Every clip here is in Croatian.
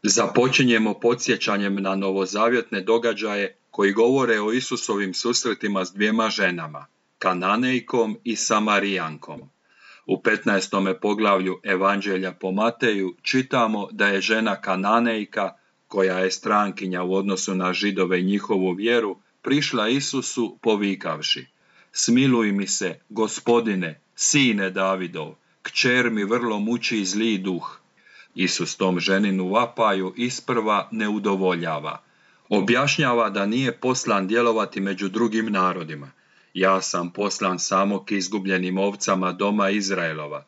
Započinjemo podsjećanjem na novozavjetne događaje koji govore o Isusovim susretima s dvijema ženama, Kananejkom i Samarijankom. U 15. poglavlju Evanđelja po Mateju čitamo da je žena Kananejka, koja je strankinja u odnosu na Židove i njihovu vjeru, prišla Isusu povikavši: "Smiluj mi se, Gospodine, sine Davidov, kćer mi vrlo muči zli duh." Isus tom ženinu vapaju isprva ne udovoljava. Objašnjava da nije poslan djelovati među drugim narodima. Ja sam poslan samo k izgubljenim ovcama doma Izraelova.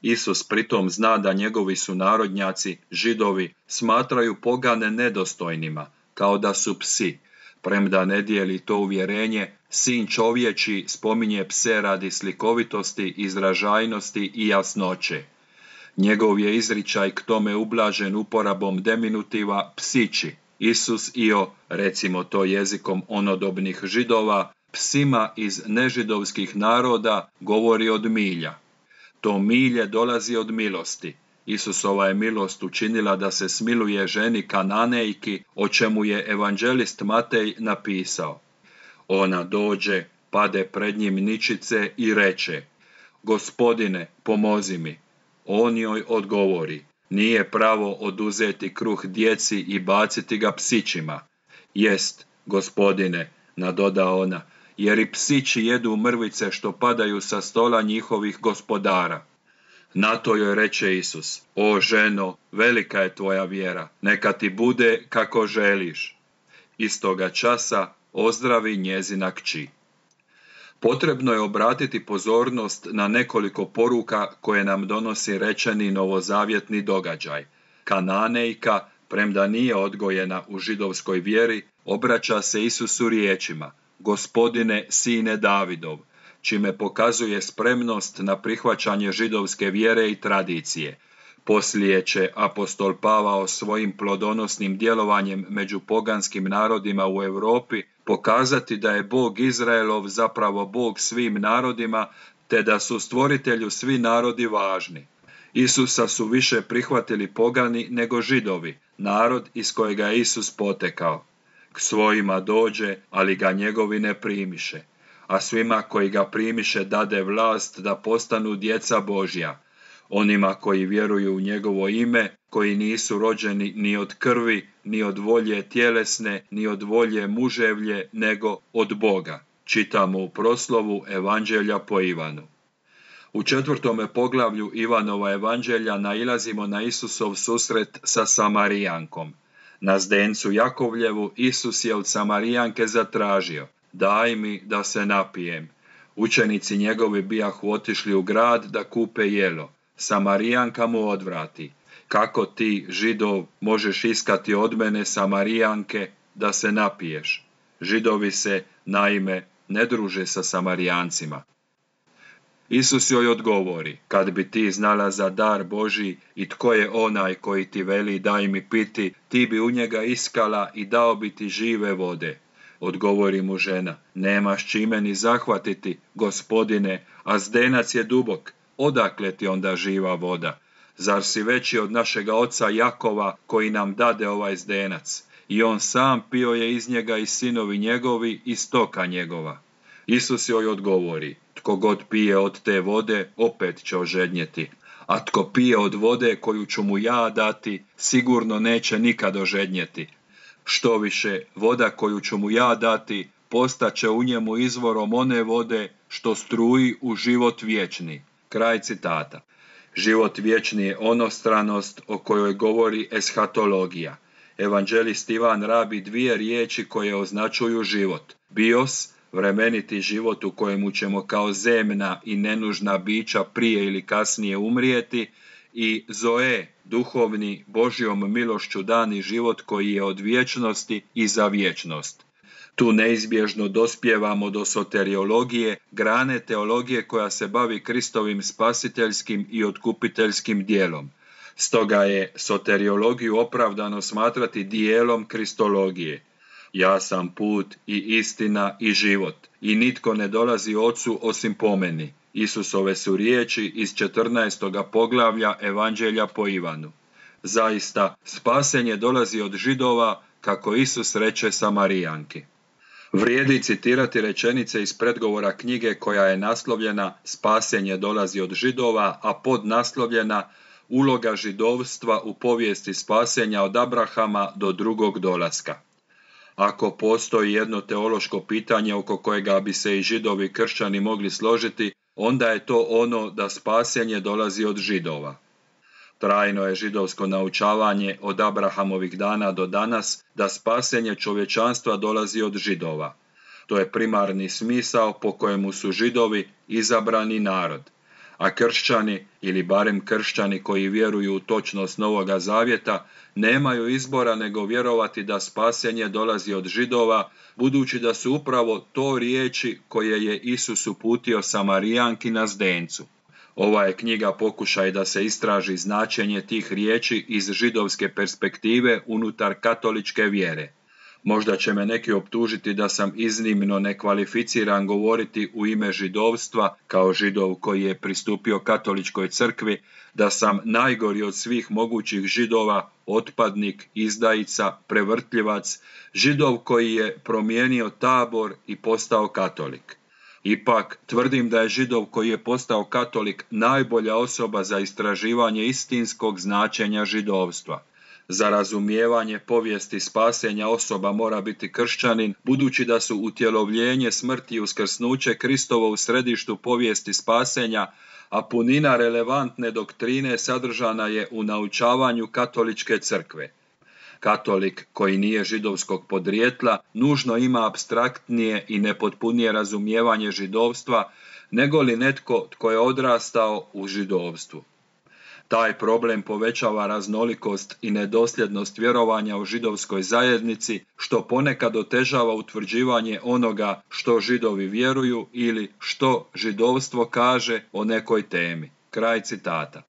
Isus pritom zna da njegovi sunarodnjaci, Židovi, smatraju pogane nedostojnima, kao da su psi. Premda ne dijeli to uvjerenje, sin čovječi spominje pse radi slikovitosti, izražajnosti i jasnoće. Njegov je izričaj k tome ublažen uporabom deminutiva psići. Isus recimo to jezikom onodobnih Židova, psima iz nežidovskih naroda govori od milja. To milje dolazi od milosti. Isusova je milost učinila da se smiluje ženi Kananejki, o čemu je evanđelist Matej napisao: "Ona dođe, pade pred njim ničice i reče: Gospodine, pomozi mi." On joj odgovori: "Nije pravo oduzeti kruh djeci i baciti ga psićima." "Jest, Gospodine," nadoda ona, "jer i psići jedu mrvice što padaju sa stola njihovih gospodara." Na to joj reče Isus: "O ženo, velika je tvoja vjera, neka ti bude kako želiš." Istoga časa ozdravi njezina kći. Potrebno je obratiti pozornost na nekoliko poruka koje nam donosi rečeni novozavjetni događaj. Kananejka, premda nije odgojena u židovskoj vjeri, obraća se Isusu riječima: "Gospodine, sine Davidov," čime pokazuje spremnost na prihvaćanje židovske vjere i tradicije. Poslije će apostol Pavao svojim plodonosnim djelovanjem među poganskim narodima u Europi pokazati da je Bog Izraelov zapravo Bog svim narodima, te da su stvoritelju svi narodi važni. Isusa su više prihvatili pogani nego Židovi, narod iz kojega je Isus potekao. K svojima dođe, ali ga njegovi ne primiše, a svima koji ga primiše dade vlast da postanu djeca Božja, onima koji vjeruju u njegovo ime, koji nisu rođeni ni od krvi, ni od volje tjelesne, ni od volje muževlje, nego od Boga. Čitamo u proslovu Evanđelja po Ivanu. U 4. poglavlju Ivanova Evanđelja nailazimo na Isusov susret sa Samarijankom. Na zdencu Jakovljevu Isus je od Samarijanke zatražio: "Daj mi da se napijem." Učenici njegovi bijahu otišli u grad da kupe jelo. Samarijanka mu odvrati: "Kako ti, Židov, možeš iskati od mene, Samarijanke, da se napiješ?" Židovi se, naime, ne druže sa Samarijancima. Isus joj odgovori: "Kad bi ti znala za dar Božji i tko je onaj koji ti veli daj mi piti, ti bi u njega iskala i dao bi ti žive vode." Odgovori mu žena: "Nemaš čime ni zahvatiti, Gospodine, a zdenac je dubok. Odakle ti onda živa voda? Zar si veći od našega oca Jakova, koji nam dade ovaj zdenac? I on sam pio je iz njega i sinovi njegovi i stoka njegova." Isus joj odgovori: "Tko god pije od te vode, opet će ožednjeti. A tko pije od vode koju ću mu ja dati, sigurno neće nikad ožednjeti. Što više, voda koju ću mu ja dati, postaće u njemu izvorom one vode što struji u život vječni." Kraj citata. Život vječni je onostranost o kojoj govori eshatologija. Evanđelist Ivan rabi dvije riječi koje označuju život: bios, vremeniti život u kojemu ćemo kao zemna i nenužna bića prije ili kasnije umrijeti, i zoe, duhovni, Božjom milošću dani život koji je od vječnosti i za vječnost. Tu neizbježno dospijevamo do soteriologije, grane teologije koja se bavi Kristovim spasiteljskim i otkupiteljskim dijelom. Stoga je soteriologiju opravdano smatrati dijelom kristologije. Ja sam put i istina i život, i nitko ne dolazi Ocu osim po meni. Isusove su riječi iz 14. poglavlja Evanđelja po Ivanu. Zaista, spasenje dolazi od Židova, kako Isus reče Samarijanki. Vrijedi citirati rečenice iz predgovora knjige koja je naslovljena Spasenje dolazi od Židova, a podnaslovljena Uloga židovstva u povijesti spasenja od Abrahama do drugog dolaska. Ako postoji jedno teološko pitanje oko kojega bi se i Židovi i kršćani mogli složiti, onda je to ono da spasenje dolazi od Židova. Trajno je židovsko naučavanje od Abrahamovih dana do danas da spasenje čovječanstva dolazi od Židova. To je primarni smisao po kojemu su Židovi izabrani narod, a kršćani, ili barem kršćani koji vjeruju u točnost Novoga Zavjeta, nemaju izbora nego vjerovati da spasenje dolazi od Židova, budući da su upravo to riječi koje je Isus uputio Samarijanki na zdencu. Ova je knjiga pokušaj da se istraži značenje tih riječi iz židovske perspektive unutar katoličke vjere. Možda će me neki optužiti da sam iznimno nekvalificiran govoriti u ime židovstva kao Židov koji je pristupio katoličkoj crkvi, da sam najgori od svih mogućih Židova, otpadnik, izdajica, prevrtljivac, Židov koji je promijenio tabor i postao katolik. Ipak, tvrdim da je Židov koji je postao katolik najbolja osoba za istraživanje istinskog značenja židovstva. Za razumijevanje povijesti spasenja osoba mora biti kršćanin, budući da su utjelovljenje, smrti i uskrsnuće Kristovo u središtu povijesti spasenja, a punina relevantne doktrine sadržana je u naučavanju katoličke crkve. Katolik koji nije židovskog podrijetla nužno ima apstraktnije i nepotpunije razumijevanje židovstva nego li netko tko je odrastao u židovstvu. Taj problem povećava raznolikost i nedosljednost vjerovanja u židovskoj zajednici, što ponekad otežava utvrđivanje onoga što Židovi vjeruju ili što židovstvo kaže o nekoj temi. Kraj citata.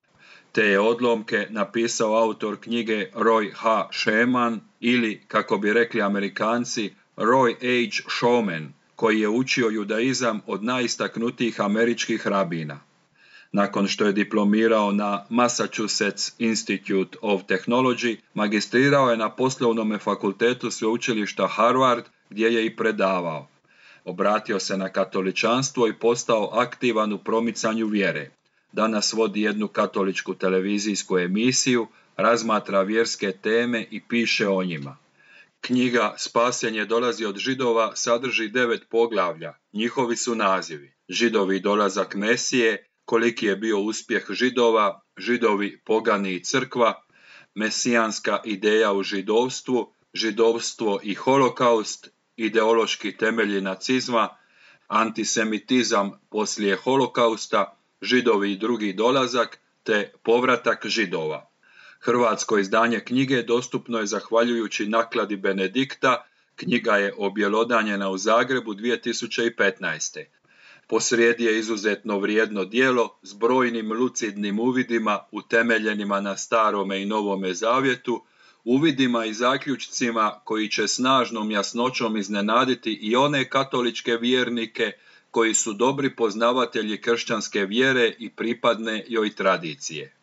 Te je odlomke napisao autor knjige Roy H. Sheman ili, kako bi rekli Amerikanci, Roy H. Showman, koji je učio judaizam od najistaknutijih američkih rabina. Nakon što je diplomirao na Massachusetts Institute of Technology, magistrirao je na poslovnom fakultetu sveučilišta Harvard, gdje je i predavao. Obratio se na katoličanstvo i postao aktivan u promicanju vjere. Danas vodi jednu katoličku televizijsku emisiju, razmatra vjerske teme i piše o njima. Knjiga Spasenje dolazi od Židova sadrži 9 poglavlja. Njihovi su nazivi: Židovi dolazak Mesije, koliki je bio uspjeh Židova, Židovi, pogani i crkva, mesijanska ideja u židovstvu, židovstvo i holokaust, ideološki temelji nacizma, antisemitizam poslije holokausta, Židovi i drugi dolazak, te povratak Židova. Hrvatsko izdanje knjige dostupno je zahvaljujući nakladi Benedikta. Knjiga je objelodanjena u Zagrebu 2015. Posrijedi je izuzetno vrijedno djelo s brojnim lucidnim uvidima utemeljenima na Starome i Novome Zavjetu, uvidima i zaključcima koji će snažnom jasnoćom iznenaditi i one katoličke vjernike koji su dobri poznavatelji kršćanske vjere i pripadne joj tradicije.